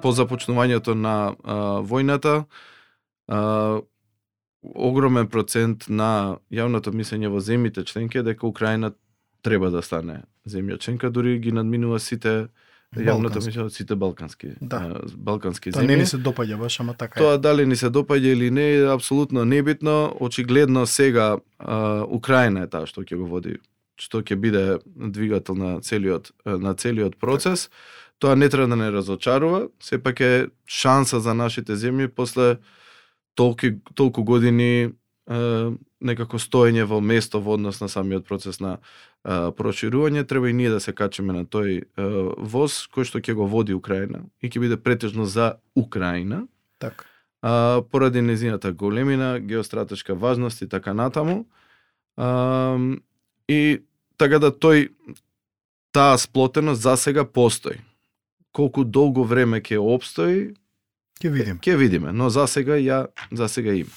по започнувањето на војната, огромен процент на јавното мислење во земјите членки е дека Украина треба да стане земја членка, дури ги надминува сите јавното мислење, сите балкански балкански земји. Тоа не ни се допаѓа баш, ама така Тоа дали ни се допаѓа или не е апсолутно небитно. Очигледно сега Украина е таа што ќе го води, што ќе биде двигател на целиот процес. Тоа не треба да не разочарува, сепак е шанса за нашите земји после толку години некако стоење во место во однос на самиот процес на проширување. Треба и ние да се качиме на тој воз кој што ќе го води Украина и ќе биде претежно за Украина. Така. Поради нејзината големина, геостратешка важност и така натаму. И така да таа сплотеност за сега постои. Колку долго време ќе обстои, Ќе видиме. Ќе видиме, но за сега има.